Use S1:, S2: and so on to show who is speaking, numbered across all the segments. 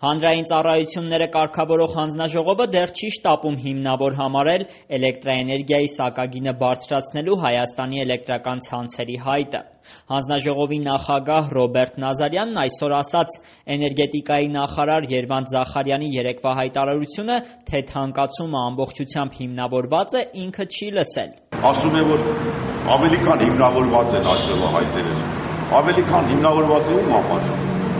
S1: Հանրային ծառայությունները կարգավորող հանձնաժողովը դեռ չի շտապում հիմնավոր համարել էլեկտրաէներգիայի սակագինը բարձրացնելու Հայաստանի էլեկտրական ցանցերի հայտը։ Հանձնաժողովի նախագահ Ռոբերտ Նազարյանն այսօր ասաց. էներգետիկայի նախարար Երվանդ Զախարյանի երեկվա հայտարարությունը, թե թանկացումը ամբողջությամբ հիմնավորված է, ինքը չի լսել։
S2: Ասում է, որ ավելի քան հիմնավորված են այստեղ հայտերը, ավելի քան հիմնավորված է ում համար,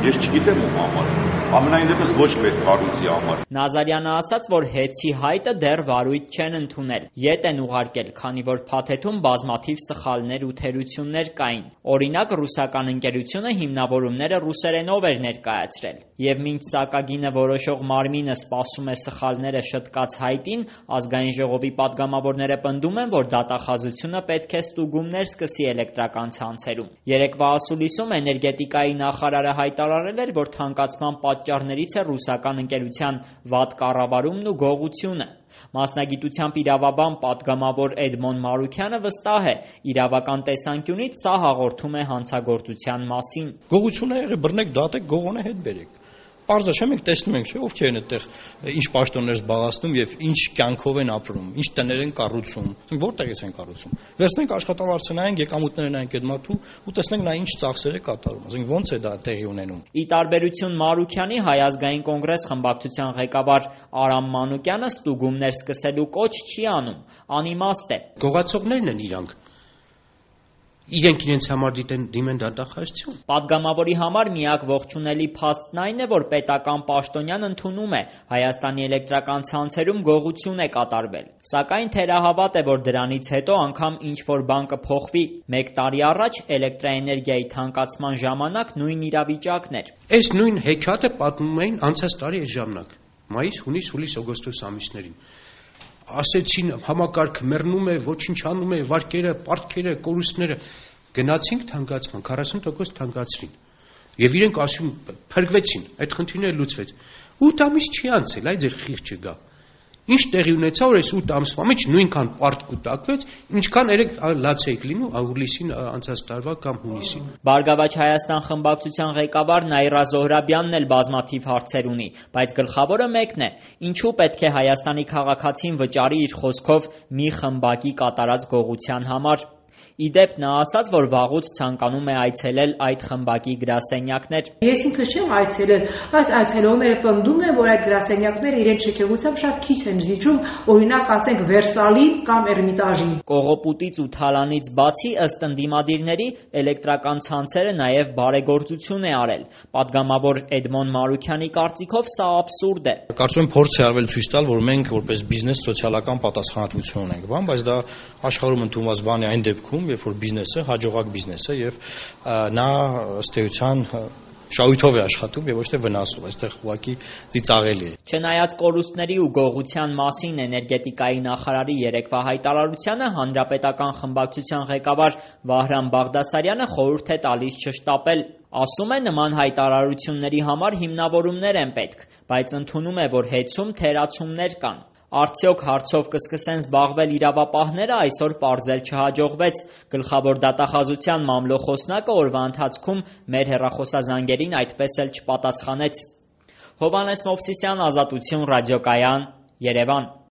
S2: ես չգիտեմ ում համար, ամենայն դեպս ոչ մեր կառույցի համար։
S1: Նազարյանը ասաց, որ հեցի հայտը դեռ վարույթ չեն ընդունել, ետ են ուղարկել, քանի որ փաթեթում բազմաթիվ սխալներ ու թերություններ կային։ Օրինակ, ռուսական ընկերությունը հիմնավորումները ռուսերենով էր ներկայացրել։ Եվ մինչ սակագինը որոշող մարմինը սպասում է սխալները շտկած հայտին, Ազգային ժողովի պատգամավորները պնդում են, որ դատախազությունը պետք է ստուգումներ սկսի էլեկտրական ցանցերում։ Երեկվա ասուլիսում էներգետիկայի նախարարը հայտարարել էր, որ թանկացման պատճառներից է ռուսական ընկերության վատ կառավարումն ու գողությունը։ Մասնագիտությամբ իրավաբան պատգամավոր Էդմոն Մարուքյանը վստահ է, իրավական տեսանկյունից սա հաղորդում է հանցագործության մասին։
S3: Գողություն է եղել, բռնեք, դատեք, գողոնը հետ բերեք։ Պարզ է, մենք տեսնում ենք, ովքեր են այդտեղ ինչ պաշտոններ զբաղեցնում եւ ինչ կյանքով են ապրում, ինչ տներ են կառուցում, որտեղից են կառուցում։ Վերցնենք աշխատավարձը նայենք, եկամուտները նայենք այդ մարդու ու տեսնենք նա ինչ ծախսեր է կատարում, ասենք ոնց է դա տեղի ունենում։
S1: Ի տարբերություն Մարուքյանի, Հայ ազգային կոնգրես խմբակցության ղեկավար Արամ Մանուկյանը ստուգումներ սկսելու կոչ չի անում, անիմաստ է։
S4: Գողացողներն են իրանք։ Իրենք իրենց համար դիմեն դատախազություն։
S1: Պատգամավորի համար միակ ողջունելի փաստն այն է, որ պետական պաշտոնյան ընդունում է Հայաստանի էլեկտրական ցանցերում գողություն է կատարվել։ Սակայն թերահավատ է, որ դրանից հետո անգամ ինչ-որ բան կփոխվի։ 1 տարի առաջ էլեկտրաէներգիայի թանկացման ժամանակ նույն իրավիճակն էր։
S4: Այս նույն հեքիաթը պատմում էին անցած տարի այս ժամանակ՝ մայիս, հունիս, հուլիս, օգոստոս ամիսներին։ Ասեցին համակարգը մեռնում է, ոչինչ անում է, վարկերը, պարտքերը, կորուստները, գնացինք թանկացման, 40% թանկացրին։ Եվ իրենք ասում փրկվեցին, այդ խնդիրները լուծվեց։ 8 ամիս չի անցել, այ ձեր խիղճը գա։ Ինչ տեղի ունեցավ, որ այս 8 ամսվա մեջ նույնքան պարտք կուտակվեց, ինչքան երեք լաց էիք լինում հուլիսին անցած տարվա կամ հունիսին։
S1: Բարգավաճ Հայաստան խմբակցության ղեկավար Նաիրա Զոհրաբյանն էլ բազմաթիվ հարցեր ունի, բայց գլխավորը մեկն է. ինչու պետք է Հայաստանի քաղաքացին վճարի իր խոսքով մի խմբակի կատարած գողության համար։ Իդեպ նա ասաց, որ վաղուց ցանկանում է այցելել այդ խմբակի գրասենյակներ։
S5: Ես ինքս չեմ այցելել, բայց այցելողները պնդում են, որ այդ գրասենյակները իրենց շքեղությամբ շատ քիչ են զիջում, օրինակ ասենք Վերսալին կամ Էրմիտաժին։
S1: Կողոպուտից ու թալանից բացի, ըստ ընդդիմադիրների, էլեկտրական ցանցերը նաև բարեգործություն է արել։ Պատգամավոր Էդմոն Մարուքյանի կարծիքով սա աբսուրդ է։
S3: Կարծում եմ փորձ է արվել ցույց տալ, որ մենք որպես բիզնես սոցիալական պատասխանատվություն ունենք, բայց դա աշխարհում ընդունված բան է այն դեպքում, երբ որ բիզնեսը հաջողակ բիզնես է եւ նա ըստ էության շահույթով է աշխատում եւ ոչ թե վնասով, այստեղ ուղղակի ծիծաղելի է։
S1: Չնայած կորուստների ու գողության մասին էներգետիկայի նախարարի երեկվա հայտարարությանը, հանրապետական խմբակցության ղեկավար Վահրամ Բաղդասարյանը խորհուրդ է տալիս չշտապել։ Ասում է, նման հայտարարությունների համար հիմնավորումներ են պետք, բայց ընդունում է, որ հեծում թերացումներ կան։ Արդյոք հարցով կսկսեն զբաղվել իրավապահները, այսօր պարզել չհաջողվեց։ Գլխավոր դատախազության մամլոխոսնակը օրվա ընթացքում մեր հեռախոսազանգերին այդպես էլ չպատասխանեց։ Հովհաննես Մովսիսյան, Ազատություն ռադիոկայան, Երևան։